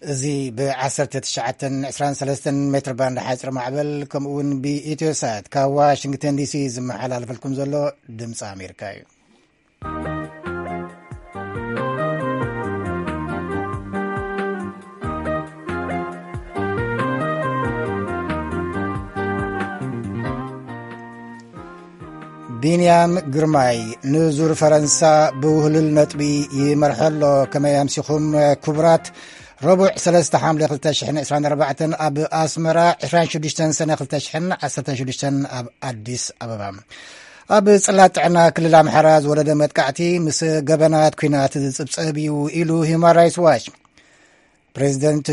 እዚ ብ1923 ሜትር ባንድ ሓፂር ማዕበል ከምኡ እውን ብኢትዮሳት ካብ ዋሽንግተን ዲሲ ዝመሓላለፈልኩም ዘሎ ድምፂ ኣሜሪካ እዩ። ቢንያም ግርማይ ንዙር ፈረንሳ ብውህሉል ነጥቢ ይመርሖ ኣሎ። ከመይ ኣምሲኹም ክቡራት? ረቡዕ ሰለስተ ሓምለ ክልተ ሽሕን ዕስራን ኣርባዕተን ኣብ ኣስመራ፣ ዕስራን ሽዱሽተን ሰነ ክልተ ሽሕን ዓሰርተ ሽዱሽተን ኣብ ኣዲስ ኣበባ። ኣብ ጽላት ጥዕና ክልል ኣምሓራ ዝወረደ መጥቃዕቲ ምስ ገበናት ኲናት ዝጽብጸብ እዩ ኢሉ ሂውማን ራይትስ ዋች። ፕሬዚደንት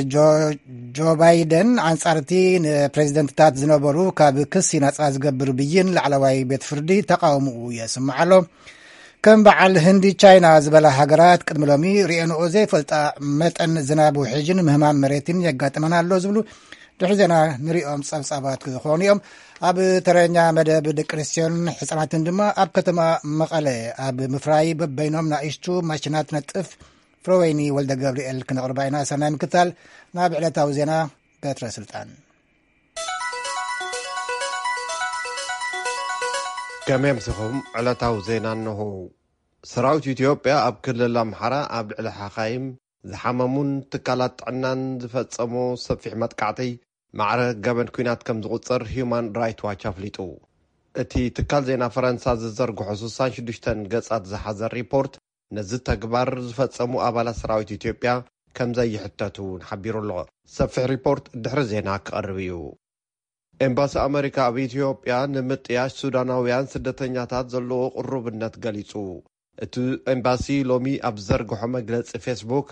ጆ ባይደን ኣንጻር እቲ ንፕሬዚደንትታት ዝነበሩ ካብ ክሲ ናጻ ዝገብር ብይን ላዕለዋይ ቤት ፍርዲ ተቓውምኡ የስምዕ ኣሎ። ከም በዓል ህንዲ፣ ቻይና ዝበላ ሃገራት ቅድሚ ሎሚ ርእየንኦ ዘይፈልጣ መጠን ዝናብ ውሕጅን ምህማን መሬትን የጋጥመና ኣሎ ዝብሉ ድሕሪ ዜና ንሪኦም ጸብጻባት ክኾኑ እዮም። ኣብ ተረኛ መደብ ደቂ ኣንስትዮን ህጻናትን ድማ ኣብ ከተማ መቐለ ኣብ ምፍራይ በበይኖም ናእሽቱ ማሽናት ነጥፍ ፍረወይኒ ወልደ ገብርኤል ክነቕርባ ኢና። ሰናይ ምክታል። ናብ ዕለታዊ ዜና በትረ ስልጣን። ከመይ ኣምሲኹም? ዕለታዊ ዜና እንሆ። ሰራዊት ኢትዮጵያ ኣብ ክልል ኣምሓራ ኣብ ልዕሊ ሓኻይም ዝሓመሙን ትካላት ጥዕናን ዝፈጸሞ ሰፊሕ መጥቃዕቲ ማዕረ ገበን ኲናት ከም ዝቑጸር ሂዩማን ራይት ዋች ኣፍሊጡ። እቲ ትካል ዜና ፈረንሳ ዝዘርግሖ ስሳን ሽዱሽተን ገጻት ዝሓዘ ሪፖርት ነዚ ተግባር ዝፈጸሙ ኣባላት ሰራዊት ኢትዮጵያ ከም ዘይሕተቱ እውን ሓቢሩ ኣሎ። ሰፊሕ ሪፖርት ድሕሪ ዜና ክቐርብ እዩ። ኤምባሲ ኣመሪካ ኣብ ኢትዮጵያ ንምጥያሽ ሱዳናውያን ስደተኛታት ዘለዎ ቅሩብነት ገሊጹ። እቲ ኤምባሲ ሎሚ ኣብ ዘርግሖ መግለጺ ፌስቡክ፣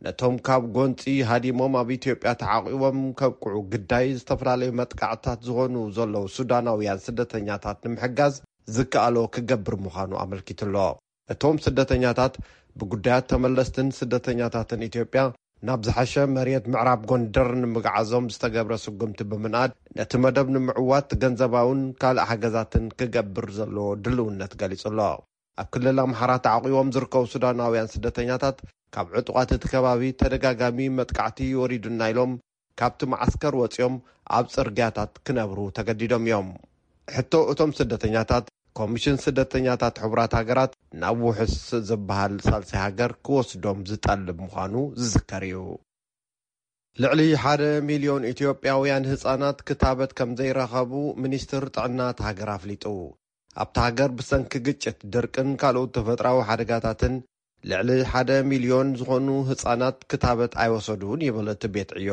ነቶም ካብ ጎንጺ ሃዲሞም ኣብ ኢትዮጵያ ተዓቂቦም ከብቅዑ ግዳይ ዝተፈላለዩ መጥቃዕትታት ዝኾኑ ዘለዉ ሱዳናውያን ስደተኛታት ንምሕጋዝ ዝከኣሎ ክገብር ምዃኑ ኣመልኪቱ ኣሎ። እቶም ስደተኛታት ብጉዳያት ተመለስትን ስደተኛታትን ኢትዮጵያ ናብ ዝሓሸ መሬት ምዕራብ ጎንደር ንምግዓዞም ዝተገብረ ስጉምቲ ብምንኣድ፣ ነቲ መደብ ንምዕዋት ገንዘባውን ካልእ ሓገዛትን ክገብር ዘለዎ ድልውነት ገሊጹ ኣሎ። ኣብ ክልል ኣምሓራ ተዓቂቦም ዝርከቡ ሱዳናውያን ስደተኛታት፣ ካብ ዕጡቓት እቲ ከባቢ ተደጋጋሚ መጥቃዕቲ ወሪዱና ኢሎም ካብቲ መዓስከር ወጺኦም ኣብ ጽርግያታት ክነብሩ ተገዲዶም እዮም። ሕቶ እቶም ስደተኛታት፣ ኮሚሽን ስደተኛታት ሕቡራት ሃገራት ናብ ውሑስ ዝበሃል ሳልሳይ ሃገር ክወስዶም ዝጠልብ ምዃኑ ዝዝከር እዩ። ልዕሊ ሓደ ሚልዮን ኢትዮጵያውያን ህጻናት ክታበት ከም ዘይረኸቡ ሚኒስትር ጥዕና እታ ሃገር ኣፍሊጡ። ኣብታ ሃገር ብሰንኪ ግጭት፣ ድርቅን ካልኦት ተፈጥራዊ ሓደጋታትን ልዕሊ ሓደ ሚልዮን ዝኾኑ ህጻናት ክታበት ኣይወሰዱን ይብል እቲ ቤት ዕዮ።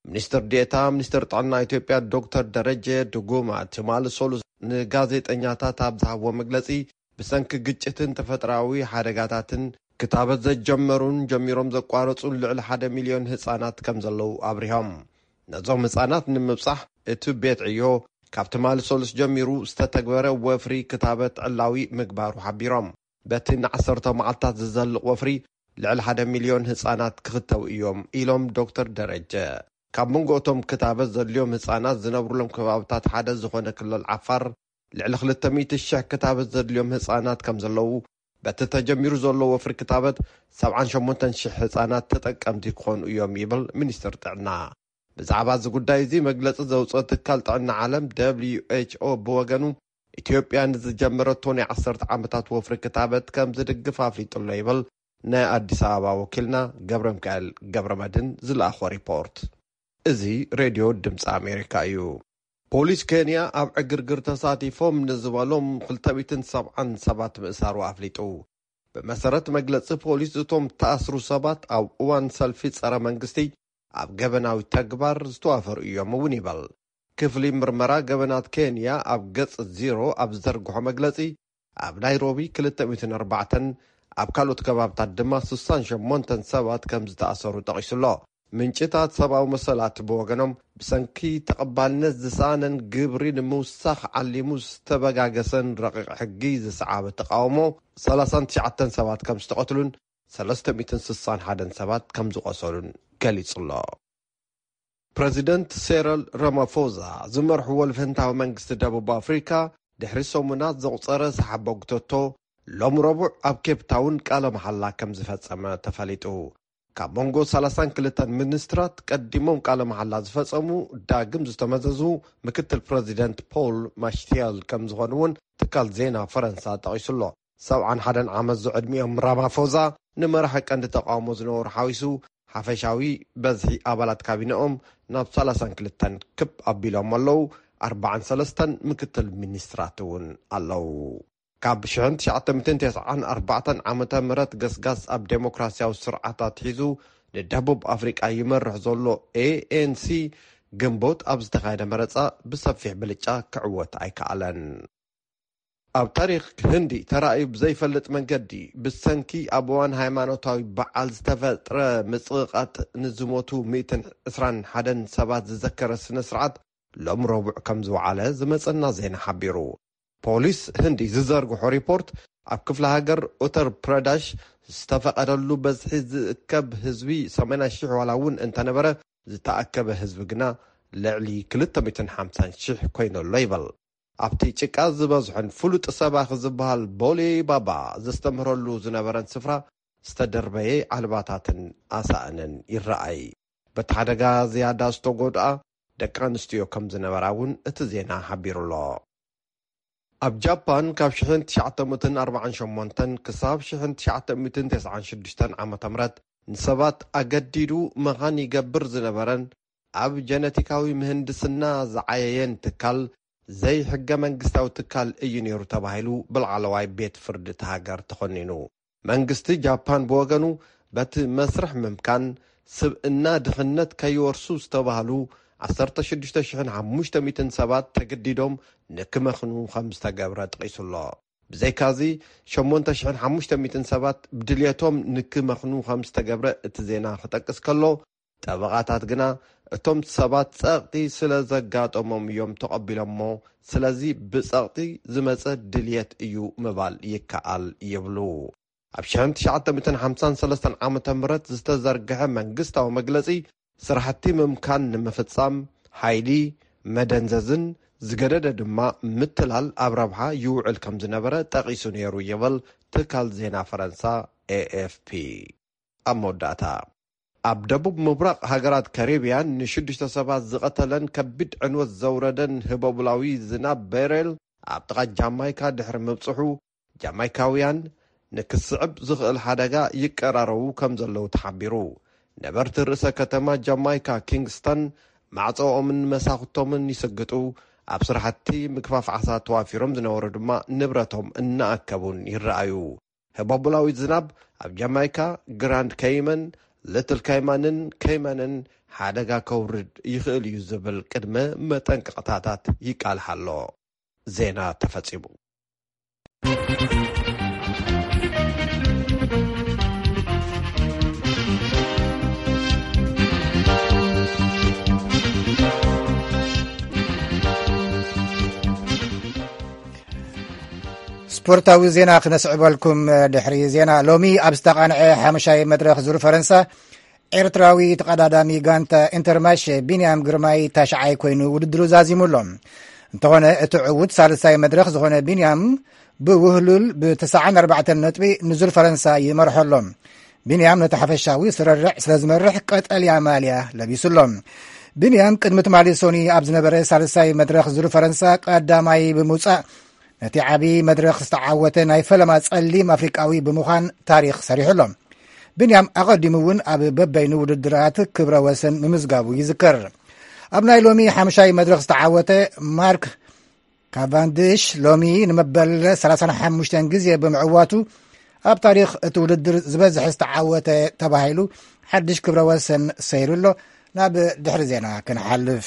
ሚኒስትር ዴኤታ ሚኒስትር ጥዕና ኢትዮጵያ ዶክተር ደረጀ ድጉማ ትማሊ ሰሉስ ንጋዜጠኛታት ኣብ ዝሃብዎ መግለጺ፣ ብሰንኪ ግጭትን ተፈጥራዊ ሓደጋታትን ክታበት ዘጀመሩን ጀሚሮም ዘቋረጹን ልዕሊ ሓደ ሚልዮን ህጻናት ከም ዘለዉ ኣብሪሆም። ነዞም ህጻናት ንምብጻሕ እቲ ቤት ዕዮ ካብ ትማሊ ሰሉስ ጀሚሩ ዝተተግበረ ወፍሪ ክታበት ዕላዊ ምግባሩ ሓቢሮም። በቲ ንዓሰርተ መዓልታት ዝዘልቕ ወፍሪ ልዕሊ ሓደ ሚልዮን ህጻናት ክኽተቡ እዮም ኢሎም ዶክተር ደረጀ። ካብ መንጎ እቶም ክታበት ዘድልዮም ህጻናት ዝነብሩሎም ከባብታት ሓደ ዝኾነ ክልል ዓፋር ልዕሊ ክልተ ሚእቲ ሽሕ ክታበት ዘድልዮም ህጻናት ከም ዘለዉ፣ በቲ ተጀሚሩ ዘሎ ወፍሪ ክታበት ሰብዓን ሸሞንተን ሽሕ ህጻናት ተጠቀምቲ ክኾኑ እዮም ይብል ሚኒስትር ጥዕና። ብዛዕባ እዚ ጉዳይ እዚ መግለጺ ዘውፅኦ ትካል ጥዕና ዓለም ደብሊዩ ኤች ኦ ብወገኑ፣ ኢትዮጵያ ንዝጀመረቶ ናይ ዓሰርተ ዓመታት ወፍሪ ክታበት ከም ዝድግፍ ኣፍሊጡ ኣሎ ይብል ናይ ኣዲስ ኣበባ ወኪልና ገብረ ሚካኤል ገብረ መድህን ዝለኣኾ ሪፖርት። እዚ ሬድዮ ድምፂ ኣሜሪካ እዩ። ፖሊስ ኬንያ ኣብ ዕግርግር ተሳቲፎም ንዝበሎም ክልተ ሚእትን ሰብዓን ሰባት ምእሳሩ ኣፍሊጡ። ብመሰረት መግለጺ ፖሊስ፣ እቶም ተኣስሩ ሰባት ኣብ እዋን ሰልፊ ጸረ መንግስቲ ኣብ ገበናዊ ተግባር ዝተዋፈሩ እዮም እውን ይበል። ክፍሊ ምርመራ ገበናት ኬንያ ኣብ ገጽ ዜሮ ኣብ ዝዘርግሖ መግለጺ፣ ኣብ ናይሮቢ ክልተ ሚእትን ኣርባዕተን፣ ኣብ ካልኦት ከባብታት ድማ ስሳን ሸሞንተን ሰባት ከም ዝተኣሰሩ ጠቒሱ ኣሎ። ምንጭታት ሰብኣዊ መሰላት ብወገኖም፣ ብሰንኪ ተቐባልነት ዝሰኣነን ግብሪ ንምውሳኽ ዓሊሙ ዝተበጋገሰን ረቂቕ ሕጊ ዝሰዓበ ተቓውሞ፣ ሰላሳን ትሽዓተን ሰባት ከም ዝተቐትሉን ሰለስተ ሚእትን ስሳን ሓደን ሰባት ከም ዝቖሰሉን ገሊጹ ኣሎ። ፕረዚደንት ሴረል ራማፎዛ ዝመርሕዎ ልፍንታዊ መንግስቲ ደቡብ ኣፍሪካ፣ ድሕሪ ሰሙናት ዘቑጸረ ሰሓቦ ግተቶ፣ ሎም ረቡዕ ኣብ ኬፕ ታውን ቃለ መሓላ ከም ዝፈጸመ ተፈሊጡ። ካብ መንጎ ሰላሳን ክልተን ሚኒስትራት ቀዲሞም ቃለ መሓላ ዝፈጸሙ ዳግም ዝተመዘዙ ምክትል ፕረዚደንት ፖል ማሽቲያል ከም ዝኾኑ እውን ትካል ዜና ፈረንሳ ጠቒሱ ኣሎ። ሰብዓን ሓደን ዓመት ዝዕድሚኦም ራማፎዛ ንመራሒ ቀንዲ ተቃውሞ ዝነበሩ ሓዊሱ ሓፈሻዊ በዝሒ ኣባላት ካቢነኦም ናብ ሰላሳን ክልተን ክብ ኣቢሎም ኣለዉ። ኣርባዓን ሰለስተን ምክትል ሚኒስትራት እውን ኣለዉ። ካብ ሽሕን ትሽዓተ ሚእትን ተስዓን ኣርባዕተን ዓመተ ምህረት ገስጋስ ኣብ ዴሞክራሲያዊ ስርዓት ኣትሒዙ ንደቡብ ኣፍሪቃ ይመርሕ ዘሎ ኤ ኤን ሲ ግንቦት ኣብ ዝተኻየደ መረጻ ብሰፊሕ ብልጫ ክዕወት ኣይከኣለን። ኣብ ታሪኽ ህንዲ ተራእዩ ብዘይፈልጥ መንገዲ ብሰንኪ ኣብ እዋን ሃይማኖታዊ በዓል ዝተፈጥረ ምጽቕቓጥ ንዝሞቱ ሚእትን ዕስራን ሓደን ሰባት ዝዘከረ ስነ ስርዓት ሎም ረቡዕ ከም ዝወዓለ ዝመጸና ዜና ሓቢሩ። ፖሊስ ህንዲ ዝዘርግሖ ሪፖርት ኣብ ክፍለ ሃገር ኡተር ፕረዳሽ ዝተፈቐደሉ በዝሒ ዝእከብ ህዝቢ ሰማንያ ሽሕ ዋላ እውን እንተነበረ ዝተኣከበ ህዝቢ ግና ልዕሊ ክልተ ሚእትን ሓምሳን ሽሕ ኮይኑ ኣሎ ይበል። ኣብቲ ጭቃ ዝበዝሖን ፍሉጥ ሰባኺ ዝበሃል ቦሌ ባባ ዘስተምህረሉ ዝነበረን ስፍራ ዝተደርበየ ዓልባታትን ኣሳእንን ይረኣይ። በቲ ሓደጋ ዝያዳ ዝተጎድኣ ደቂ ኣንስትዮ ከም ዝነበራ እውን እቲ ዜና ሓቢሩ ኣሎ። ኣብ ጃፓን ካብ ሽሕን ትሽዓተ ሚእትን ኣርባዓን ሸሞንተን ክሳብ ሽሕን ትሽዓተ ሚእትን ተስዓን ሽዱሽተን ዓመተ ምህረት ንሰባት ኣገዲዱ መኻን ይገብር ዝነበረን ኣብ ጀነቲካዊ ምህንድስና ዝዓየየን ትካል ዘይሕገ መንግስታዊ ትካል እዩ ነይሩ ተባሂሉ ብላዕለዋይ ቤት ፍርዲ እቲ ሃገር ተኾኒኑ። መንግስቲ ጃፓን ብወገኑ በቲ መስርሕ ምምካን ስብእና ድኽነት ከይወርሱ ዝተባህሉ ዓሰርተ ሽዱሽተ ሽሕን ሓሙሽተ ሚእትን ሰባት ተገዲዶም ንክመኽኑ ከም ዝተገብረ ጠቒሱ ኣሎ። ብዘይካዚ ሸሞንተ ሽሕን ሓሙሽተ ሚእትን ሰባት ብድልየቶም ንክመኽኑ ከም ዝተገብረ እቲ ዜና ክጠቅስ ከሎ፣ ጠበቓታት ግና እቶም ሰባት ጸቕጢ ስለ ዘጋጠሞም እዮም ተቐቢሎሞ፣ ስለዚ ብጸቕጢ ዝመጸ ድልየት እዩ ምባል ይከኣል ይብሉ። ኣብ ሽሕን ትሽዓተ ሚእትን ሓምሳን ሰለስተን ዓመተ ምህረት ዝተዘርግሐ መንግስታዊ መግለጺ ስራሕቲ ምምካን ንምፍጻም ሓይሊ፣ መደንዘዝን ዝገደደ ድማ ምትላል ኣብ ረብሓ ይውዕል ከም ዝነበረ ጠቒሱ ነይሩ ይብል ትካል ዜና ፈረንሳ ኤ ኤፍ ፒ። ኣብ መወዳእታ፣ ኣብ ደቡብ ምብራቕ ሃገራት ካሪብያን ንሽዱሽተ ሰባት ዝቐተለን ከቢድ ዕንወት ዘውረደን ህቦብላዊ ዝናብ ቤሬል ኣብ ጥቓ ጃማይካ ድሕሪ ምብጽሑ፣ ጃማይካውያን ንክስዕብ ዝኽእል ሓደጋ ይቀራረቡ ከም ዘለዉ ተሓቢሩ። ነበርቲ ርእሰ ከተማ ጃማይካ ኪንግስተን ማዕጾኦምን መሳኹቶምን ይስግጡ፣ ኣብ ስራሕቲ ምግፋፍ ዓሳ ተዋፊሮም ዝነበሩ ድማ ንብረቶም እናኣከቡን ይረኣዩ። ህቦብላዊ ዝናብ ኣብ ጃማይካ፣ ግራንድ ከይመን፣ ልትል ካይማንን ከይመንን ሓደጋ ከውርድ ይኽእል እዩ ዝብል ቅድመ መጠንቀቕታታት ይቃልሕ ኣሎ። ዜና ተፈጺሙ። ስፖርታዊ ዜና ክነስዕበልኩም። ድሕሪ ዜና ሎሚ ኣብ ዝተቓንዐ ሓሙሻይ መድረኽ ዙር ፈረንሳ፣ ኤርትራዊ ተቐዳዳሚ ጋንታ ኢንተርማሽ ቢንያም ግርማይ ታሽዓይ ኮይኑ ውድድሩ ዛዚሙ ኣሎ። እንተኾነ እቲ ዕዉት ሳልሳይ መድረኽ ዝኾነ ቢንያም ብውህሉል ብተስዓን ኣርባዕተን ነጥቢ ንዙር ፈረንሳ ይመርሖ ኣሎ። ቢንያም ነቲ ሓፈሻዊ ስርርዕ ስለ ዝመርሕ ቀጠልያ ማልያ ለቢሱ ኣሎ። ቢንያም ቅድሚ ትማሊ ሶኒ ኣብ ዝነበረ ሳልሳይ መድረኽ ዙር ፈረንሳ ቀዳማይ ብምውጻእ ነቲ ዓቢ መድረኽ ዝተዓወተ ናይ ፈለማ ጸሊም ኣፍሪቃዊ ብምዃን ታሪኽ ሰሪሑ ኣሎ። ቢንያም ኣቐዲሙ እውን ኣብ በበይኑ ውድድራት ክብረ ወሰን ምምዝጋቡ ይዝከር። ኣብ ናይ ሎሚ ሓምሻይ መድረኽ ዝተዓወተ ማርክ ካቫንድሽ ሎሚ ንመበል ሰላሳን ሓሙሽተን ግዜ ብምዕዋቱ ኣብ ታሪኽ እቲ ውድድር ዝበዝሕ ዝተዓወተ ተባሂሉ ሓድሽ ክብረ ወሰን ሰይሩ ኣሎ። ናብ ድሕሪ ዜና ክንሓልፍ።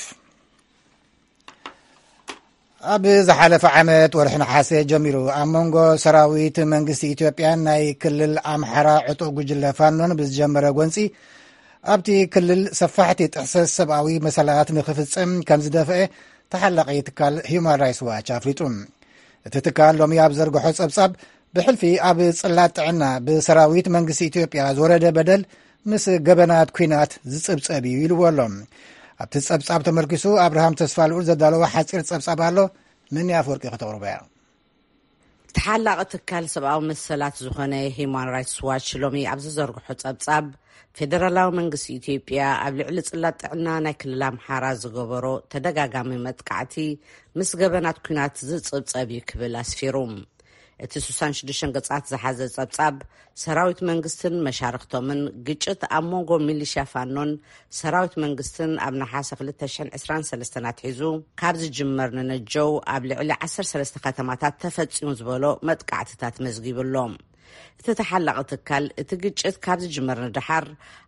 ኣብ ዝሓለፈ ዓመት ወርሒ ነሓሰ ጀሚሩ ኣብ መንጎ ሰራዊት መንግስቲ ኢትዮጵያን ናይ ክልል ኣምሓራ ዕጡቕ ጉጅለ ፋኖን ብዝጀመረ ጎንፂ ኣብቲ ክልል ሰፋሕቲ ጥሕሰት ሰብኣዊ መሰላት ንክፍፀም ከም ዝደፍአ ተሓላቒ ትካል ሂዩማን ራይትስ ዋች ኣፍሊጡ። እቲ ትካል ሎሚ ኣብ ዘርግሖ ጸብጻብ ብሕልፊ ኣብ ጽላት ጥዕና ብሰራዊት መንግስቲ ኢትዮጵያ ዝወረደ በደል ምስ ገበናት ኲናት ዝጽብጸብ እዩ ኢልዎ ኣሎ። ኣብቲ ጸብጻብ ተመርኪሱ ኣብርሃም ተስፋልኡል ዘዳለዎ ሓጺር ጸብጻብ ኣሎ። ምን ኣፈወርቂ ከተቕርቦ እያ። ተሓላቒ ትካል ሰብኣዊ መሰላት ዝኾነ ሂዩማን ራይትስ ዋች ሎሚ ኣብ ዝዘርግሖ ጸብጻብ፣ ፌደራላዊ መንግስቲ ኢትዮጵያ ኣብ ልዕሊ ጽላት ጥዕና ናይ ክልል ኣምሓራ ዝገበሮ ተደጋጋሚ መጥቃዕቲ ምስ ገበናት ኲናት ዝጽብጸብ እዩ ክብል ኣስፊሩ። እቲ ስሳን ሽዱሽተ ገጻት ዝሓዘ ጸብጻብ፣ ሰራዊት መንግስትን መሻርክቶምን ግጭት ኣብ መንጎ ሚሊሽያ ፋኖን ሰራዊት መንግስትን ኣብ ነሓሰ ክልተ ሽሕን ዕስራን ሰለስተን ኣትሒዙ ካብ ዝጅመር ንነጀው ኣብ ልዕሊ ዓሰርተ ሰለስተ ከተማታት ተፈጺሙ ዝበሎ መጥቃዕትታት መዝጊቡ ኣሎ። እቲ ተሓላቒ ትካል፣ እቲ ግጭት ካብ ዝጅመር ንደሓር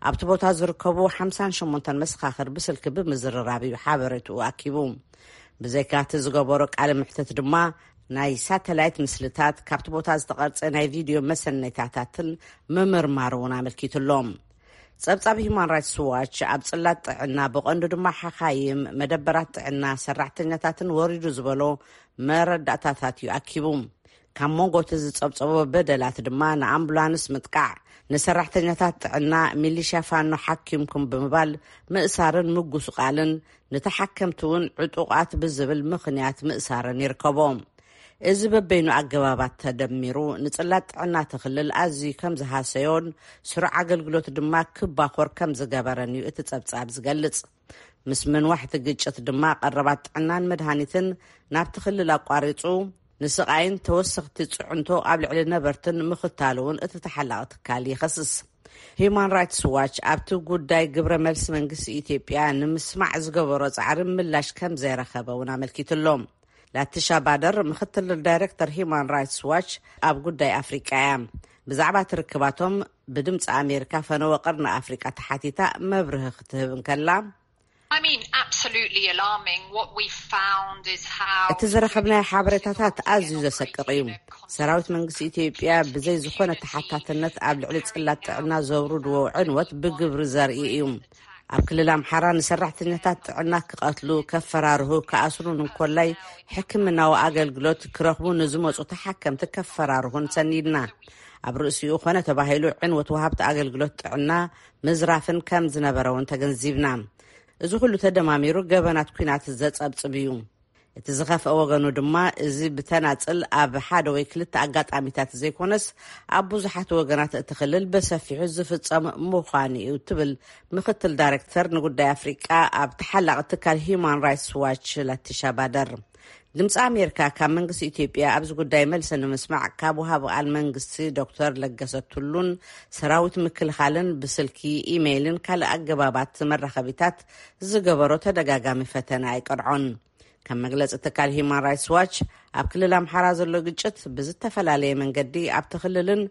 ኣብቲ ቦታ ዝርከቡ ሓምሳን ሸሞንተን መሰኻኽር ብስልኪ ብምዝርራብ እዩ ሓበሬትኡ ኣኪቡ። ብዘይካ እቲ ዝገበሮ ቃለ ምሕተት ድማ፣ ናይ ሳተላይት ምስልታት፣ ካብቲ ቦታ ዝተቐርጸ ናይ ቪድዮ መሰነይታታትን ምምርማር እውን ኣመልኪቱ ኣሎ። ጸብጻብ ሂዩማን ራይትስ ዋች ኣብ ጽላት ጥዕና፣ ብቐንዱ ድማ ሓኻይም፣ መደበራት ጥዕና፣ ሰራሕተኛታትን ወሪዱ ዝበሎ መረዳእታታት እዩ ኣኪቡ። ካብ መንጎ እቲ ዝጸብጸቦ በደላት ድማ፣ ንኣምቡላንስ ምጥቃዕ፣ ንሰራሕተኛታት ጥዕና፣ ሚሊሽያ ፋኖ ሓኪምኩም ብምባል ምእሳርን ምጉስቓልን፣ ንተሓከምቲ እውን ዕጡቓት ብዝብል ምኽንያት ምእሳርን ይርከቦ። እዚ በበይኑ ኣገባባት ተደሚሩ፣ ንጽላት ጥዕና እቲ ክልል ኣዝዩ ከም ዝሃሰዮን፣ ስሩዕ ኣገልግሎት ድማ ክባኾር ከም ዝገበረን እዩ እቲ ጸብጻብ ዝገልጽ። ምስ ምንዋሕ እቲ ግጭት ድማ፣ ቀረባት ጥዕናን መድሃኒትን ናብቲ ክልል ኣቋሪጹ፣ ንስቓይን ተወሰኽቲ ጽዕንቶ ኣብ ልዕሊ ነበርትን ምኽታሉ እውን እቲ ተሓላቒ ትካል ይኸስስ። ሂዩማን ራይትስ ዋች ኣብቲ ጉዳይ ግብረ መልሲ መንግስቲ ኢትዮጵያ ንምስማዕ ዝገበሮ ጻዕሪ ምላሽ ከም ዘይረኸበ እውን ኣመልኪቱ ኣሎ። ላቲሻ ባደር፣ ምኽትል ዳይሬክተር ሂዩማን ራይትስ ዋች ኣብ ጉዳይ ኣፍሪቃ እያ። ብዛዕባ እቲ ርክባቶም፣ ብድምፂ ኣሜሪካ ፈነወ ቀርኒ ኣፍሪቃ ተሓቲታ መብርሂ ክትህብ እንከላ፣ I mean, absolutely alarming. What we found is how እቲ ዝረኸብናዮ ሓበሬታታት ኣዝዩ ዘሰቅቕ እዩ። ሰራዊት መንግስቲ ኢትዮጵያ ብዘይ ዝኾነ ተሓታትነት ኣብ ልዕሊ ጽላት ጥዕና ዘውርድዎ ዕንወት ብግብሪ ዘርኢ እዩ። ኣብ ክልል ኣምሓራ ንሰራሕተኛታት ጥዕና ክቐትሉ፣ ከፈራርሁ፣ ክኣስሩን እንኮላይ ሕክምናዊ ኣገልግሎት ክረኽቡ ንዝመጹ ተሓከምቲ ከፈራርሁን ሰኒድና። ኣብ ርእሲኡ ኮነ ተባሂሉ፣ ዕንወት ወሃብቲ ኣገልግሎት ጥዕና ምዝራፍን ከም ዝነበረ እውን ተገንዚብና። እዚ ኩሉ ተደማሚሩ ገበናት ኲናት ዘጸብጽብ እዩ። እቲ ዝኸፍአ ወገኑ ድማ፣ እዚ ብተናጽል ኣብ ሓደ ወይ ክልተ ኣጋጣሚታት ዘይኮነስ፣ ኣብ ብዙሓት ወገናት እቲ ክልል ብሰፊሑ ዝፍጸም ምዃኑ እዩ ትብል ምኽትል ዳይሬክተር ንጉዳይ ኣፍሪቃ ኣብ ተሓላቒ ትካል ሂዩማን ራይትስ ዋች ላቲሻ ባደር። ድምፂ ኣሜሪካ ካብ መንግስቲ ኢትዮጵያ ኣብዚ ጉዳይ መልሲ ንምስማዕ ካብ ወሃቢ ቃል መንግስቲ ዶክተር ለገሰ ቱሉን ሰራዊት ምክልኻልን ብስልኪ፣ ኢሜይልን ካልእ ኣገባባት መራኸቢታት ዝገበሮ ተደጋጋሚ ፈተነ ኣይቀድዖን። ከም መግለፂ ትካል ሂዩማን ራይትስ ዋች፣ ኣብ ክልል ኣምሓራ ዘሎ ግጭት ብዝተፈላለየ መንገዲ ኣብቲ ክልልን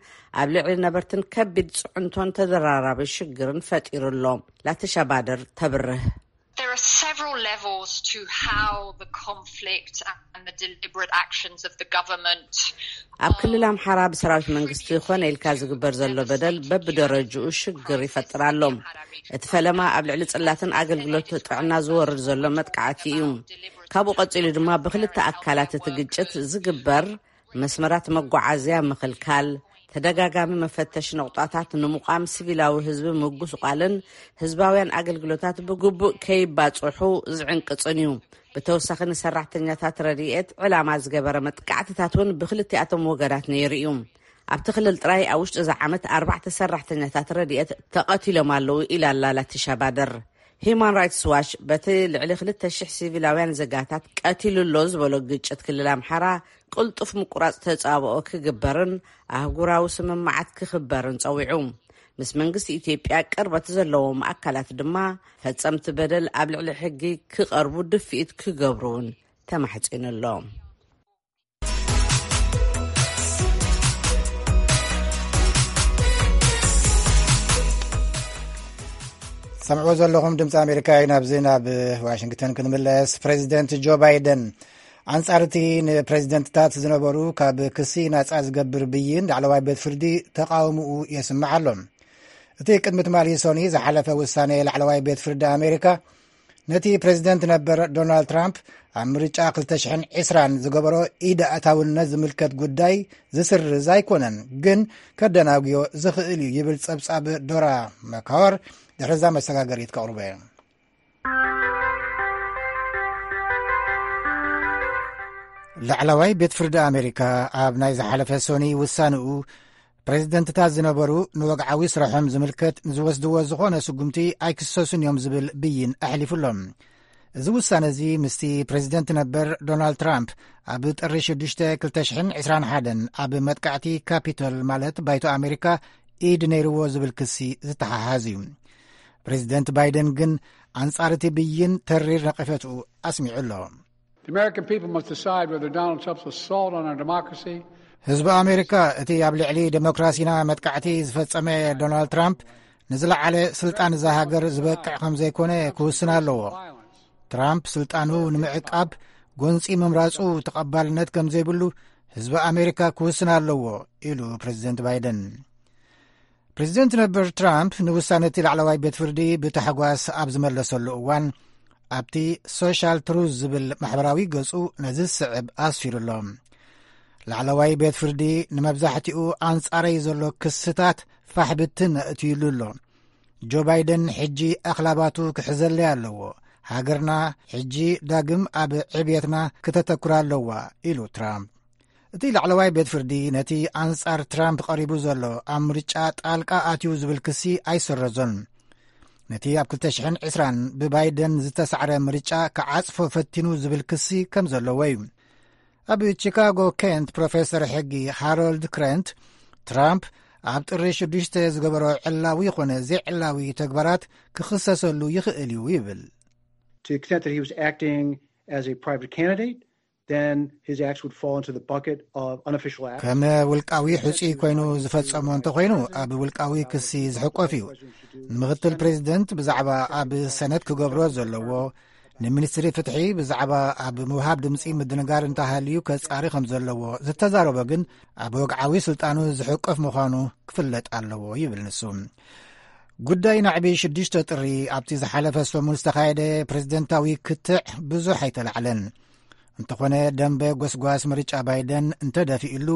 ኣብ ልዕሊ ነበርትን ከቢድ ፅዕንቶን ተደራራቢ ሽግርን ፈጢሩ ኣሎ። ላቲሻ ባደር ተብርህ። There are several levels to how the conflict and the deliberate actions of the government ኣብ ክልል ኣምሓራ ብሰራዊት መንግስቲ ኮነ ኢልካ ዝግበር ዘሎ በደል በብደረጅኡ ሽግር ይፈጥር ኣሎ። እቲ ፈለማ ኣብ ልዕሊ ጽላትን ኣገልግሎት ጥዕና ዝወርድ ዘሎ መጥቃዕቲ እዩ። ካብኡ ቀጺሉ ድማ ብክልተ ኣካላት እቲ ግጭት ዝግበር መስመራት መጓዓዝያ ምኽልካል፣ ተደጋጋሚ መፈተሽ ነቑጣታት ንምቋም፣ ሲቪላዊ ህዝቢ ምጉስቋልን ህዝባውያን ኣገልግሎታት ብግቡእ ከይባጽሑ ዝዕንቅጽን እዩ። ብተወሳኺ ንሰራሕተኛታት ረድኤት ዕላማ ዝገበረ መጥቃዕትታት እውን ብክልቲኣቶም ወገናት ነይሩ እዩ። ኣብቲ ክልል ጥራይ ኣብ ውሽጢ እዚ ዓመት ኣርባዕተ ሰራሕተኛታት ረድኤት ተቐቲሎም ኣለዉ ኢላ ኣላ ላቲሻ ባደር። ሂዩማን ራይትስ ዋች በቲ ልዕሊ ክልተ ሽሕ ሲቪላውያን ዜጋታት ቀቲሉ ኣሎ ዝበሎ ግጭት ክልል ኣምሓራ ቅልጡፍ ምቁራጽ ተጻብኦ ክግበርን ኣህጉራዊ ስምምዓት ክኽበርን ጸዊዑ። ምስ መንግስቲ ኢትዮጵያ ቅርበት ዘለዎም ኣካላት ድማ ፈጸምቲ በደል ኣብ ልዕሊ ሕጊ ክቐርቡ ድፍኢት ክገብሩ እውን ተማሕጺኑ ኣሎ። ሰምዕዎ ዘለኹም ድምፂ ኣሜሪካ እዩ። ናብዚ ናብ ዋሽንግተን ክንምለስ። ፕሬዚደንት ጆ ባይደን ኣንጻር እቲ ንፕሬዚደንትታት ዝነበሩ ካብ ክሲ ናጻ ዝገብር ብይን ላዕለዋይ ቤት ፍርዲ ተቃውምኡ የስምዕ ኣሎ። እቲ ቅድሚ ትማሊ ሰኑይ ዝሓለፈ ውሳኔ ላዕለዋይ ቤት ፍርዲ ኣሜሪካ ነቲ ፕሬዚደንት ነበር ዶናልድ ትራምፕ ኣብ ምርጫ ክልተ ሽሕን ዕስራን ዝገበሮ ኢድ ኣእታውነት ዝምልከት ጉዳይ ዝስርዝ ኣይኮነን፣ ግን ከደናጉዮ ዝኽእል እዩ ይብል ጸብጻብ ዶራ መካወር። ድሕርዛ መሰጋገሪት ከቕርቦ እየ። ላዕለዋይ ቤት ፍርዲ ኣሜሪካ ኣብ ናይ ዝሓለፈ ሶኒ ውሳንኡ፣ ፕሬዚደንትታት ዝነበሩ ንወግዓዊ ስራሖም ዝምልከት ንዝወስድዎ ዝኾነ ስጉምቲ ኣይክሰሱን እዮም ዝብል ብይን ኣሕሊፉሎም። እዚ ውሳነ እዚ ምስቲ ፕሬዚደንት ነበር ዶናልድ ትራምፕ ኣብ ጥሪ ሽዱሽተ ክልተ ሽሕን ዕስራን ሓደን ኣብ መጥቃዕቲ ካፒቶል ማለት ባይቶ ኣሜሪካ ኢድ ነይርዎ ዝብል ክሲ ዝተሓሓዝ እዩ። ፕሬዚደንት ባይደን ግን ኣንጻር እቲ ብይን ተሪር ነቐፈትኡ ኣስሚዑ ኣሎ። The American people must decide whether Donald Trump's assault on our democracy ህዝቢ ኣሜሪካ እቲ ኣብ ልዕሊ ዴሞክራሲና መጥቃዕቲ ዝፈጸመ ዶናልድ ትራምፕ ንዝለዓለ ስልጣን እዛ ሃገር ዝበቅዕ ከም ዘይኮነ ክውስን ኣለዎ። ትራምፕ ስልጣኑ ንምዕቃብ ጎንጺ ምምራጹ ተቐባልነት ከም ዘይብሉ ህዝቢ ኣሜሪካ ክውስን ኣለዎ፣ ኢሉ ፕሬዚደንት ባይደን። ፕሬዚደንት ነበር ትራምፕ ንውሳነ እቲ ላዕለዋይ ቤት ፍርዲ ብታሕጓስ ኣብ ዝመለሰሉ እዋን፣ ኣብቲ ሶሻል ትሩዝ ዝብል ማሕበራዊ ገጹ ነዚ ዝስዕብ ኣስፊሩ ኣሎ። ላዕለዋይ ቤት ፍርዲ ንመብዛሕትኡ ኣንጻረይ ዘሎ ክስታት ፋሕ ብትን ኣእትዩሉ ኣሎ። ጆ ባይደን ሕጂ ኣኽላባቱ ክሕዘለይ ኣለዎ። ሃገርና ሕጂ ዳግም ኣብ ዕብየትና ክተተኩር ኣለዋ፣ ኢሉ ትራምፕ። እቲ ላዕለዋይ ቤት ፍርዲ ነቲ ኣንጻር ትራምፕ ቀሪቡ ዘሎ ኣብ ምርጫ ጣልቃ ኣትዩ ዝብል ክሲ ኣይሰረዞን። ነቲ ኣብ ክልተ ሽሕን ዕስራን ብባይደን ዝተሳዕረ ምርጫ ክዓጽፎ ፈቲኑ ዝብል ክሲ ከም ዘለዎ እዩ። ኣብ ቺካጎ ኬንት ፕሮፌሰር ሕጊ ሃሮልድ ክረንት፣ ትራምፕ ኣብ ጥሪ ሽዱሽተ ዝገበሮ ዕላዊ ይኾነ ዘይዕላዊ ተግባራት ክኽሰሰሉ ይኽእል እዩ ይብል። To the extent that he was acting as a private candidate, then his acts would fall into the bucket of unofficial acts. ከም ውልቃዊ ሕጹይ ኮይኑ ዝፈጸሞ እንተኾይኑ፣ ኣብ ውልቃዊ ክሲ ዝሕቆፍ እዩ። ንምኽትል ፕሬዚደንት ብዛዕባ ኣብ ሰነት ክገብሮ ዘለዎ፣ ንሚኒስትሪ ፍትሒ ብዛዕባ ኣብ ምውሃብ ድምጺ ምድንጋር እንተሃልዩ ከጻሪ ከም ዘለዎ ዝተዛረቦ ግን፣ ኣብ ወግዓዊ ስልጣኑ ዝሕቆፍ ምዃኑ ክፍለጥ ኣለዎ ይብል ንሱ። ጉዳይ ናዕቢ ሽዱሽተ ጥሪ ኣብቲ ዝሓለፈ ሰሙን ዝተኻየደ ፕሬዚደንታዊ ክትዕ ብዙሕ ኣይተላዕለን። እንተኾነ ደንበ ጎስጓስ ምርጫ ባይደን እንተደፊእሉ፣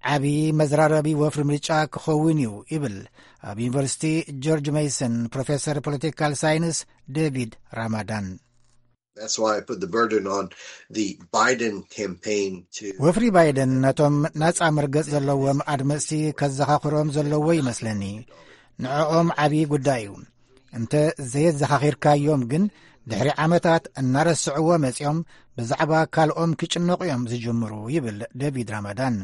ዓቢ መዝራረቢ ወፍሪ ምርጫ ክኸውን እዩ ይብል ኣብ ዩኒቨርሲቲ ጆርጅ ሜይሰን ፕሮፌሰር ፖለቲካል ሳይንስ ዴቪድ ራማዳን። That's why I put the burden on the Biden campaign to ወፍሪ ባይደን ነቶም ናጻ መርገጽ ዘለዎም ኣድመጽቲ ከዘኻኽሮም ዘለዎ ይመስለኒ። ንዕኦም ዓቢ ጉዳይ እዩ። እንተ ዘየዘኻኺርካዮም ግን፣ ድሕሪ ዓመታት እናረስዕዎ መጺኦም ብዛዕባ ካልኦም ክጭነቑ እዮም ዝጅምሩ፣ ይብል ዴቪድ ራማዳን።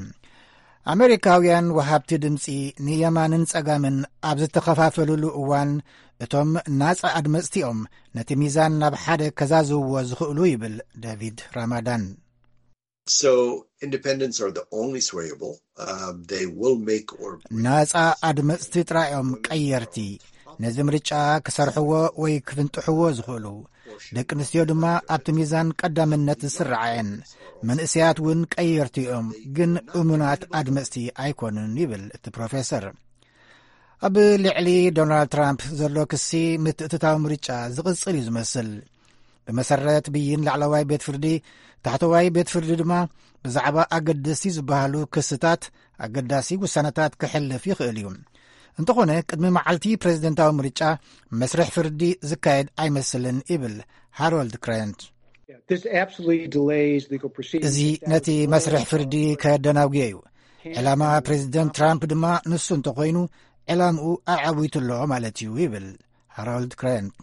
ኣሜሪካውያን ወሃብቲ ድምጺ ንየማንን ጸጋምን ኣብ ዝተኸፋፈልሉ እዋን፣ እቶም ናጻ ኣድመጽቲኦም ነቲ ሚዛን ናብ ሓደ ከዛዝውዎ ዝኽእሉ፣ ይብል ዴቪድ ራማዳን። So independents are the only swayable. Um, they will make or ናጻ ኣድመጽቲ ጥራዮም ቀየርቲ ነዚ ምርጫ ክሰርሕዎ ወይ ክፍንጥሕዎ ዝኽእሉ። ደቂ ኣንስትዮ ድማ ኣብቲ ሚዛን ቀዳምነት ዝስርዓ እየን። መንእሰያት እውን ቀየርቲ እዮም፣ ግን እሙናት ኣድመጽቲ ኣይኮኑን፣ ይብል እቲ ፕሮፌሰር። ኣብ ልዕሊ ዶናልድ ትራምፕ ዘሎ ክሲ ምትእትታው ምርጫ ዝቕጽል እዩ ዝመስል። ብመሰረት ብይን ላዕለዋይ ቤት ፍርዲ፣ ታሕተዋይ ቤት ፍርዲ ድማ ብዛዕባ ኣገደስቲ ዝበሃሉ ክስታት ኣገዳሲ ውሳነታት ክሕልፍ ይኽእል እዩ። እንተኾነ፣ ቅድሚ መዓልቲ ፕሬዝደንታዊ ምርጫ መስርሕ ፍርዲ ዝካየድ ኣይመስልን፣ ይብል ሃሮልድ ክረንት። This absolutely delays legal proceedings. እዚ ነቲ መስርሕ ፍርዲ ከደናጉዮ እዩ። ዕላማ ፕሬዝደንት ትራምፕ ድማ ንሱ እንተኾይኑ፣ ዕላምኡ ኣዓዊቱ ኣሎ ማለት እዩ፣ ይብል ሃሮልድ ክረንት።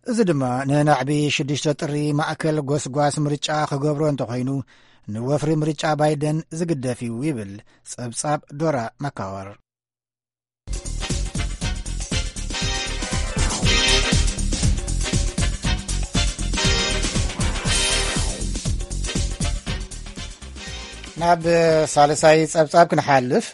እዚ ድማ ንናዕቢ ሽዱሽተ ጥሪ ማእከል ጎስጓስ ምርጫ ክገብሮ እንተኾይኑ፣ ንወፍሪ ምርጫ ባይደን ዝግደፍ እዩ፣ ይብል ጸብጻብ ዶራ ማካወር። ናብ ሳልሳይ ጸብጻብ ክንሓልፍ፣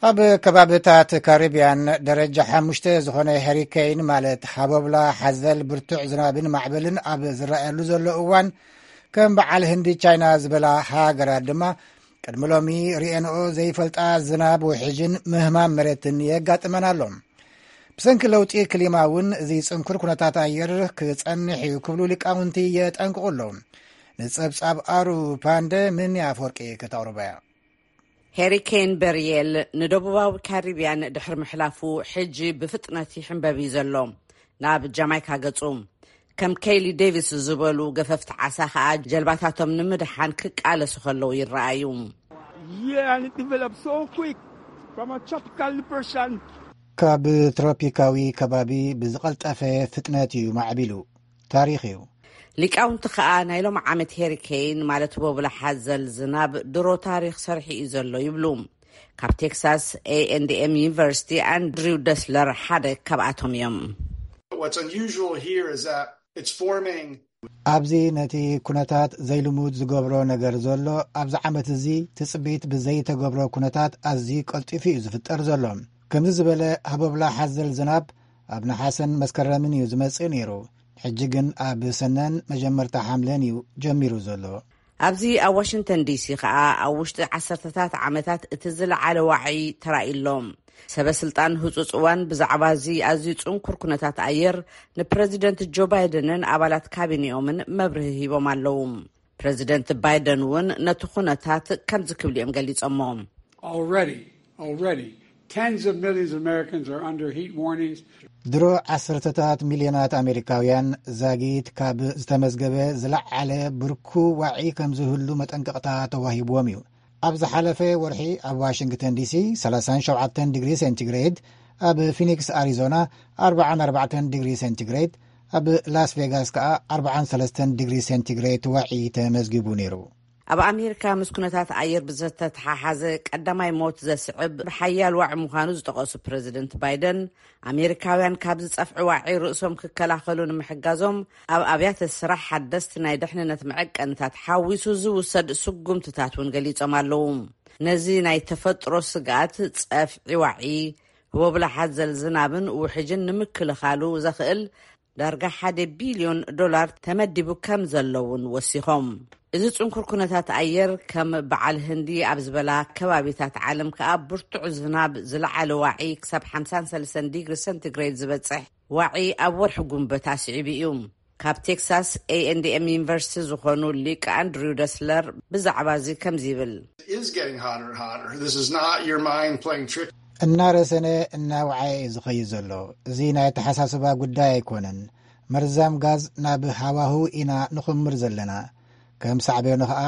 ኣብ ከባብታት ካሪብያን ደረጃ ሓሙሽተ ዝኾነ ሄሪኬን፣ ማለት ሃቦብላ ሓዘል ብርቱዕ ዝናብን ማዕበልን ኣብ ዝረኣየሉ ዘሎ እዋን፣ ከም በዓል ህንዲ፣ ቻይና ዝበላ ሃገራት ድማ ቅድሚ ሎሚ ርኤንኦ ዘይፈልጣ ዝናብ፣ ውሕጅን ምህማም መሬትን የጋጥመን ኣሎ። ብሰንኪ ለውጢ ክሊማ እውን እዚ ጽንኩር ኩነታት ኣየር ክጸንሕ እዩ ክብሉ ሊቃውንቲ የጠንቅቑ ኣለዉ። ንጸብጻብ ኣሩ ፓንደ ምን ኣፈወርቂ ከተቕርቦ እያ። ሄሪኬን በርየል ንደቡባዊ ካሪብያን ድሕሪ ምሕላፉ፣ ሕጂ ብፍጥነት ይሕንበብ እዩ ዘሎ ናብ ጃማይካ ገጹ። ከም ኬሊ ዴቪስ ዝበሉ ገፈፍቲ ዓሳ ከኣ ጀልባታቶም ንምድሓን ክቃለሱ ከለዉ ይረኣዩ። Yeah, and it developed so quick from a tropical depression. ካብ ትሮፒካዊ ከባቢ ብዝቐልጠፈ ፍጥነት እዩ ማዕቢሉ። ታሪኽ እዩ። ሊቃውንቲ ከኣ ናይ ሎም ዓመት ሄሪኬን ማለት ቦብላ ሓዘል ዝናብ ድሮ ታሪኽ ሰርሒ እዩ ዘሎ ይብሉ። ካብ ቴክሳስ ኤ ኤንድ ኤም ዩኒቨርሲቲ ኣንድሪው ደስለር ሓደ ካብኣቶም እዮም። What's unusual here is that it's forming. ኣብዚ ነቲ ኩነታት ዘይልሙድ ዝገብሮ ነገር ዘሎ ኣብዚ ዓመት እዚ ትጽቢት ብዘይተገብሮ ኩነታት ኣዝዩ ቀልጢፉ እዩ ዝፍጠር ዘሎ። ከምዚ ዝበለ ሃቦብላ ሓዘል ዝናብ ኣብ ነሓሰን መስከረምን እዩ ዝመጽእ ነይሩ። ሕጂ ግን ኣብ ሰነን መጀመርታ ሓምለን እዩ ጀሚሩ ዘሎ። ኣብዚ ኣብ ዋሽንግተን ዲሲ ከኣ ኣብ ውሽጢ ዓሰርተታት ዓመታት እቲ ዝለዓለ ዋዒ ተራእዩ ኣሎ። ሰበ ስልጣን ህጹጽ እዋን ብዛዕባ እዚ ኣዝዩ ጽንኩር ኩነታት ኣየር ንፕረዚደንት ጆ ባይደንን ኣባላት ካቢኔኦምን መብርሂ ሂቦም ኣለዉ። ፕረዚደንት ባይደን እውን ነቲ ኩነታት ከምዚ ክብሉ እዮም ገሊጾሞ። Already, already, tens of millions of Americans are under heat warnings. ድሮ ዓሰርተታት ሚልዮናት ኣሜሪካውያን ዛጊት ካብ ዝተመዝገበ ዝለዓለ ብርኩ ዋዒ ከም ዝህሉ መጠንቀቕታ ተዋሂብዎም እዩ። ኣብ ዝሓለፈ ወርሒ ኣብ ዋሽንግተን ዲሲ ሰላሳን ሸውዓተን ዲግሪ ሴንቲግሬድ፣ ኣብ ፊኒክስ ኣሪዞና ኣርባዓን ኣርባዕተን ዲግሪ ሴንቲግሬድ፣ ኣብ ላስ ቬጋስ ከኣ ኣርባዓን ሰለስተን ዲግሪ ሴንቲግሬድ ዋዒ ተመዝጊቡ ነይሩ። ኣብ ኣሜሪካ ምስ ኩነታት ኣየር ብዝተተሓሓዘ ቀዳማይ ሞት ዘስዕብ ሓያል ዋዒ ምዃኑ ዝጠቐሱ ፕረዚደንት ባይደን፣ ኣሜሪካውያን ካብ ዝጸፍዒ ዋዒ ርእሶም ክከላኸሉ ንምሕጋዞም ኣብ ኣብያተ ስራሕ ሓደስቲ ናይ ድሕንነት መዐቀንታት ሓዊሱ ዝውሰድ ስጉምትታት እውን ገሊጾም ኣለዉ። ነዚ ናይ ተፈጥሮ ስግኣት ጸፍዒ ዋዒ፣ ህቦብላ ሓዘል ዝናብን ውሕጅን ንምክልኻሉ ዘኽእል ዳርጋ ሓደ ቢልዮን ዶላር ተመዲቡ ከም ዘሎ እውን ወሲኾም። እዚ ጽንኩር ኩነታት ኣየር ከም በዓል ህንዲ ኣብ ዝበላ ከባቢታት ዓለም ከኣ ብርቱዕ ዝናብ ዝለዓለ ዋዒ ክሳብ ሓምሳን ሰለስተን ዲግሪ ሰንቲግሬድ ዝበጽሕ ዋዒ ኣብ ወርሒ ጉንበት ኣስዒቡ እዩ። ካብ ቴክሳስ ኤ ኤንድ ኤም ዩኒቨርሲቲ ዝኾኑ ሊቅ ኣንድሪው ደስለር ብዛዕባ እዚ ከምዚ ይብል። It is getting hotter and hotter. This is not your mind playing tricks. እናረሰነ እናውዓየ እዩ ዝኸይድ ዘሎ። እዚ ናይ ኣተሓሳስባ ጉዳይ ኣይኮነን። መርዛም ጋዝ ናብ ሃዋህው ኢና ንኹምር ዘለና። ከም ሳዕቤኑ ኸኣ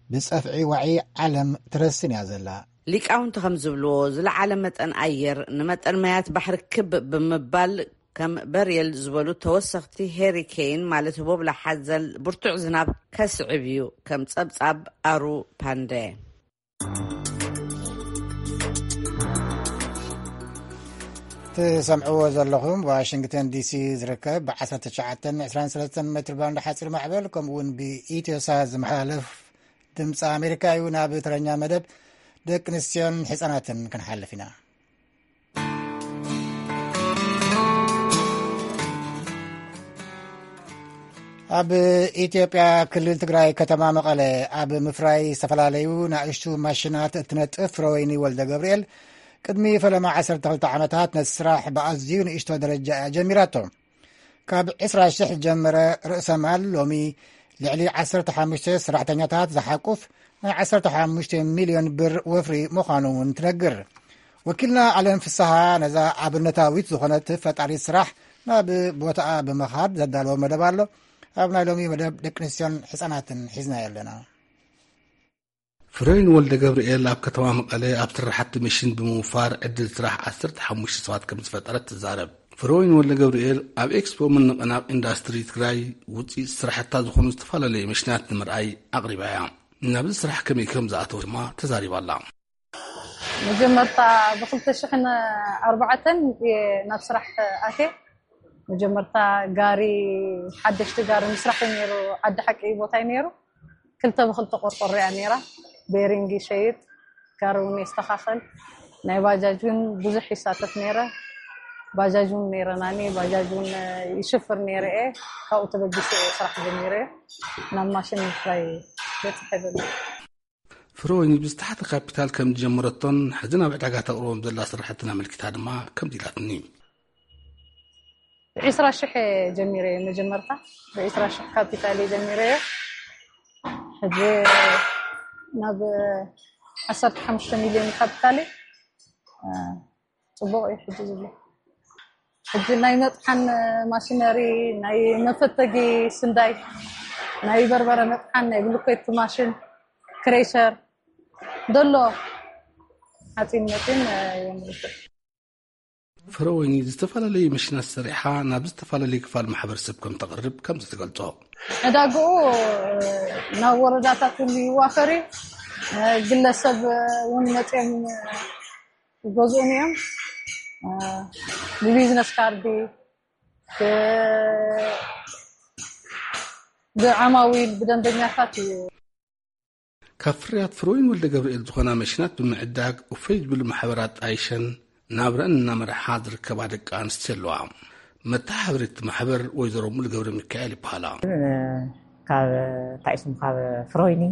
ብጸፍዒ ዋዒ ዓለም ትረስን እያ ዘላ። ሊቃውንቲ ከም ዝብልዎ ዝለዓለ መጠን ኣየር ንመጠን ማያት ባሕሪ ክብ ብምባል ከም በርየል ዝበሉ ተወሰኽቲ ሄሪኬን ማለት ቦብላ ሓዘል ብርቱዕ ዝናብ ከስዕብ እዩ። ከም ጸብጻብ ኣሩ ፓንደ። ትሰምዕዎ ዘለኹም ዋሽንግተን ዲሲ ዝርከብ ብ19 23 ሜትር ባንድ ሓፂር ማዕበል ከምኡ እውን ብኢትዮሳ ዝመሓላለፍ ድምፂ ኣሜሪካ እዩ። ናብ ተረኛ መደብ ደቂ ኣንስትዮን ህፃናትን ክንሓልፍ ኢና። ኣብ ኢትዮጵያ ክልል ትግራይ ከተማ መቐለ ኣብ ምፍራይ ዝተፈላለዩ ንኣሽቱ ማሽናት እትነጥፍ ፍረወይኒ ወልደ ገብርኤል ቅድሚ ፈለማ ዓሰርተ ክልተ ዓመታት ነቲ ስራሕ ብኣዝዩ ንእሽቶ ደረጃ እያ ጀሚራቶ። ካብ ዕስራ ሽሕ ዝጀመረ ርእሰ ማል ሎሚ ልዕሊ ዓሰርተ ሓሙሽተ ሰራሕተኛታት ዝሓቁፍ ናይ ዓሰርተ ሓሙሽተ ሚልዮን ብር ወፍሪ ምዃኑ እውን ትነግር። ወኪልና ኣለም ፍስሃ ነዛ ኣብነታዊት ዝኾነት ፈጣሪት ስራሕ ናብ ቦታኣ ብምኻድ ዘዳለዎ መደብ ኣሎ። ኣብ ናይ ሎሚ መደብ ደቂ ኣንስትዮን ህፃናትን ሒዝናዮ ኣለና። ፍሬን ወልደ ገብርኤል ኣብ ከተማ መቐለ ኣብ ስራሕቲ መሽን ብምውፋር ዕድል ስራሕ ዓሰርተ ሓሙሽተ ሰባት ከም ዝፈጠረት ትዛረብ። ፍሬወይን ወልደ ገብርኤል ኣብ ኤክስፖ ምንቕናቕ ኢንዳስትሪ ትግራይ ውፅኢት ስራሕታ ዝኾኑ ዝተፈላለዩ መሽናት ንምርኣይ ኣቕሪባ እያ። ናብዚ ስራሕ ከመይ ከም ዝኣተወ ድማ ተዛሪባ ኣላ። መጀመርታ ብክልተ ሽሕን ኣርባዕተን እየ ናብ ስራሕ ኣትየ። መጀመርታ ጋሪ፣ ሓደሽቲ ጋሪ ምስራሕ እዩ ነይሩ። ዓዲ ሓቂ ቦታ እዩ ነይሩ። ክልተ ብክልተ ቆርቆሮ እያ ነይራ። ቤሪንግ ይሸይጥ፣ ጋሪ እውን የስተኻኸል። ናይ ባጃጅ እውን ብዙሕ ይሳተፍ ነይረ። ባጃጅ እውን ነይረናኒ፣ ባጃጅ እውን ይሽፍር ነይረ እየ። ካብኡ ተበጊሰ እየ ስራሕ ጀሚረ እየ። ናብ ማሽን ምፍራይ በፂሐ ዘለኹ። ፍሮይኒ ብዝተሓተ ካፒታል ከም ዝጀመረቶን ሕዚ ናብ ዕዳጋ ተቕርቦም ዘላ ስራሕትን ኣመልኪታ ድማ ከምዚ ኢላትኒ። ዒስራ ሽሕ ጀሚረ እየ መጀመርታ፣ ብዒስራ ሽሕ ካፒታል እየ ጀሚረ እየ። ሕጂ ናብ ዓሰርተ ሓሙሽተ ሚልዮን ካፒታል እየ። እ፣ ጽቡቕ እዩ ሕጂ ዝብሎ። ሕጂ ናይ መጥሓን ማሽነሪ፣ ናይ መፈተጊ ስንዳይ፣ ናይ በርበረ መጥሓን፣ ናይ ብሉኬት ማሽን፣ ክሬሸር፣ ደሎ ሓፂን መፂን የምርት። ፍረወይኒ ዝተፈላለዩ መሽናት ሰሪሓ ናብ ዝተፈላለዩ ክፋል ማሕበረሰብ ከም ተቕርብ ከምዚ ትገልጾ። ዕዳግኡ ናብ ወረዳታት እውን ይዋፈር እዩ። ግለሰብ እውን መፅኦም ይገዝኡን እዮም። ብቢዝነስ ካርዲ፣ ብዓማዊል፣ ብደንበኛታት እዩ። ካብ ፍርያት ፍሮይን ወልደ ገብርኤል ዝኾና መሽናት ብምዕዳግ፣ እፎይ ዝብሉ ማሕበራት ጣይሸን ናብረን እናመርሓ ዝርከባ ደቂ ኣንስትዮ ኣለዋ። መተሓባበሪት ማሕበር ወይዘሮ ሙሉ ገብረ ሚካኤል ይበሃላ። ካብ ታይስም ካብ ፍሮይኒ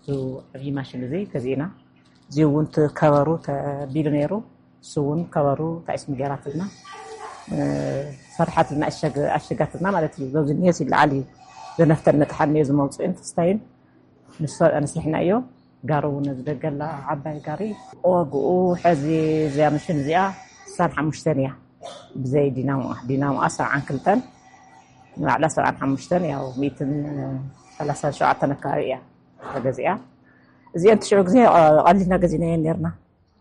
እዚ ዓብዪ ማሽን እዚ ገዚእና። እዚ እውን እቲ ከበሩ ተቢሉ ነይሩ። እሱ እውን ከበሩ ታይስም ገይራትልና፣ ሰርሓትና፣ ኣሸጋትና ማለት እዩ። በዚ ኒዮስ ይለዓል እዩ። ዘነፍተን መጥሓን ኒዮ ዝመውፅእን ፍስታይን ንሱ ኣነሲሕና እዮ። ጋሪ እውን ዝደገላ ዓባይ ጋሪ። ዋግኡ ሕዚ እዚኣ ምሽን እዚኣ ስሳን ሓሙሽተን እያ። ብዘይ ዲናሞኣ፣ ዲናሞኣ ሰብዓን ክልተን፣ ንላዕላ ሰብዓን ሓሙሽተን፣ ያው ሚእትን ሰላሳን ሸውዓተን ኣካባቢ እያ ተገዚኣ። እዚአን ትሽዑ ግዜ ቀሊልና ገዚናየን ነርና፣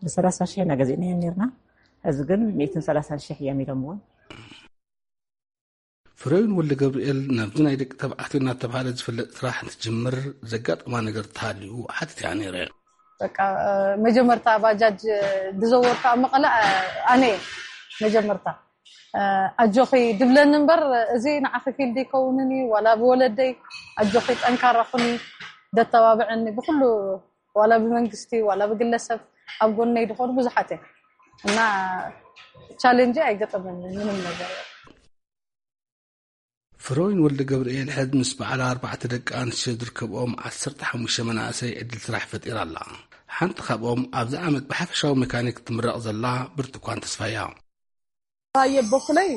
ብሰላሳ ሽሕ ኢና ገዚእናየን ነርና። እዚ ግን ሚእትን ሰላሳን ሽሕ እዮም ኢሎምዎ። ፍረዊን ወልደ ገብርኤል ናብዚ ናይ ደቂ ተባዕትዮ እናተባህለ ዝፍለጥ ስራሕ እንትትጅምር ዘጋጠማ ነገር ተሃልዩ ሓቲተያ ነይረ። በቃ መጀመርታ ባጃጅ ድዘወርካ ኣብ መቐለ ኣነ እየ መጀመርታ። ኣጆኺ ድብለኒ እምበር እዚ ንዓኺ ፊልድ ይከውንን እዩ ዋላ ብወለደይ ኣጆኺ ጠንካራ ኩኒ ደተባብዐኒ ብኩሉ ዋላ ብመንግስቲ ዋላ ብግለሰብ ኣብ ጎነይ ድኾኑ ብዙሓት እዮም እና ቻሌንጅ ኣይገጠመኒ ምንም ነገር። ፍሮይን ወልደ ገብርኤል ሕዚ ምስ በዓላ ኣርባዕተ ደቂ ኣንስትዮ ዝርከብኦም ዓሰርተ ሓሙሽተ መናእሰይ ዕድል ስራሕ ፈጢራ ኣላ። ሓንቲ ካብኦም ኣብዚ ዓመት ብሓፈሻዊ ሜካኒክ ትምረቕ ዘላ ብርቱኳን ተስፋያ። ኣየ በኩለይ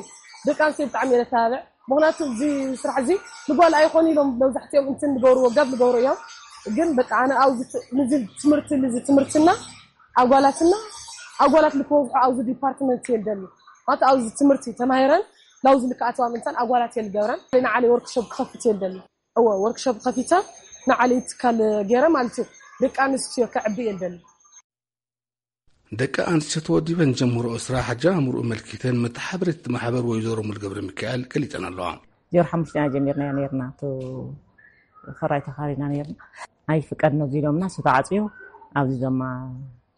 ደቂ ኣንስትዮ ብጣዕሚ እየ ዘተባብዕ። ምክንያቱ እዚ ስራሕ እዚ ንጓል ኣይኮን ኢሎም መብዛሕትኦም እንትን ዝገብርዎ ገብ ዝገብሩ እዮም። ግን በቃ ኣነ ኣብዚ ት- ንዚ ትምህርቲ ንዚ ትምህርትና ኣጓላትና ኣጓላት ልክበዝሑ ኣብዚ ዲፓርትመንት የልደኒ ማለት ኣብዚ ትምህርቲ ተማሂረን ናብዚ ልክኣተዋ ምንታን ኣጓላት የልገብረን ንዓለይ ወርክሾፕ ክኸፍት የልደኒ እወ ወርክሾፕ ከፊተ ንዓለይ ትካል ገይረ ማለት እዩ ደቂ ኣንስትዮ ከዕቢ የልደኒ። ደቂ ኣንስትዮ ተወዲበን ጀምሮ ስራሕ ኣጀማምርኡ መልኪተን መተሓበሪት ማሕበር ወይዘሮ ሙሉ ገብረ ሚካኤል ገሊፀን ኣለዋ። ዜሮ ሓሙሽተ ኢና ጀሚርናዮ ነርና ቱ ክራይ ተኻሪና ነርና ናይ ፍቀድ ነዚ ኢሎምና እሱ ተዓፅዩ ኣብዚ ዞማ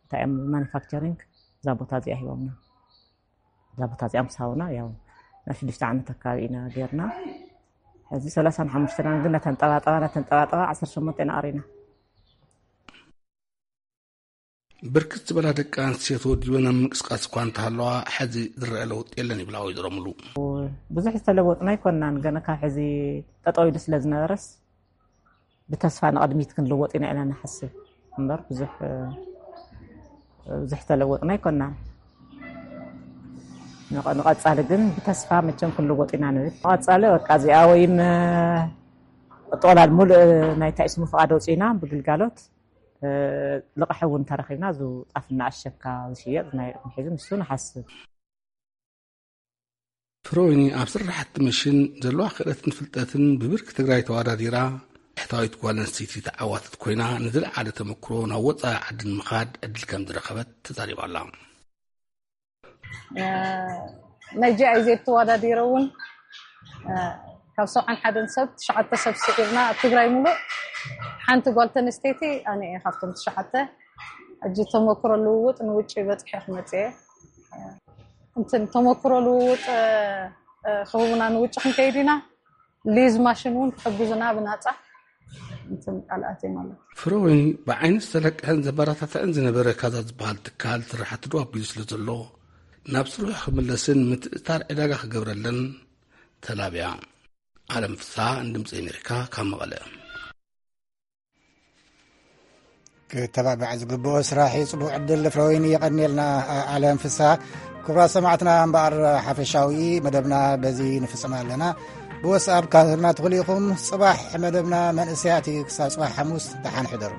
እንታይ እዮም ማኒፋክቸሪንግ እዛ ቦታ እዚኣ ሂቦምና እዛ ቦታ እዚኣ ምሳውና ያው ናይ ሽዱሽተ ዓመት ኣካባቢ ኢና ገርና ሕዚ ሰላሳን ሓሙሽተን ግን ነተንጠባጠባ ነተንጠባጠባ ዓሰርተ ሸሞንተ ኢና ቀሪና። ብርክት ዝበላ ደቂ ኣንስትዮ ተወዲበን ኣብ ምንቅስቃስ እኳ እንተሃለዋ ሕዚ ዝረአ ለውጢ የለን ይብላ ወይዘሮ ሙሉ። ብዙሕ ዝተለወጥና ኣይኮናን ገና ካብ ሕዚ ጠጠው ኢሉ ስለ ዝነበረስ ብተስፋ ንቕድሚት ክንልወጥ ኢና ኢና ንሓስብ እምበር ብዙሕ ብዙሕ ተለወጥና ኣይኮናን። ንቐፃሊ ግን ብተስፋ መቸም ክንልወጥ ኢና ንብል። ንቐፃሊ በቃ እዚኣ ወይም ጥቕላል ሙሉእ ናይ ታይስሙ ፍቓድ ኣውፂእና ብግልጋሎት ልቕሒ እውን እንተረኺብና እዚ ጣፍ እናኣሸካ ዝሽየጥ ናይ ሒዙ ንሱ ንሓስብ። ፍሮይኒ ኣብ ስራሕቲ መሽን ዘለዋ ክእለትን ፍልጠትን ብብርኪ ትግራይ ተዋዳዲራ ሕታዊት ጓል ኣንስተይቲ ተዓዋትት ኮይና ንዝለዓለ ተመክሮ ናብ ወፃኢ ዓዲ ንምኻድ ዕድል ከም ዝረኸበት ተዛሪባ ኣላ። ናይ ጂ ኣይ ዜድ ተዋዳዲረ እውን ካብ ሰብዓን ሓደን ሰብ ትሽዓተ ሰብ ስዒርና ኣብ ትግራይ ሙሉእ ሓንቲ ጓል ተንስተይቲ ኣነ እየ ካብቶም ትሽዓተ ሕጂ ተመክሮ ልውውጥ ንውጭ በፅሐ ክመፅእ እየ እንትን ተመክሮ ልውውጥ ክህቡና ንውጭ ክንከይድ ኢና ሊዝ ማሽን እውን ክሕግዙና ብናፃ እንትን ቃልኣት እዮም ኣለዉ ፍረወይኒ ብዓይኒ ዝተለቅሐን ዘበረታትዐን ዝነበረ ካዛ ዝበሃል ትካል ስራሕቲ ዶ ኣቢሉ ስለ ዘሎ ናብ ስርሑ ክምለስን ምትእትታር ዕዳጋ ክገብረለን ተላብያ። ኣለም ፍስሃ ንድምፂ ኣሜሪካ ካብ መቐለ። ክተባባዕ ዝግብኦ ስራሕ እዩ። ፅቡቅ ዕድል ፍረወይኒ የቐንየልና ኣለም ፍስሃ። ክቡራት ሰማዕትና እምበኣር ሓፈሻዊ መደብና በዚ ንፍፅም ኣለና። ብወስኣብ ካህልና ትኽእሉ ኢኹም። ፅባሕ መደብና መንእሰያት እዩ። ክሳብ ፅባሕ ሓሙስ ደሓን ሕደሩ።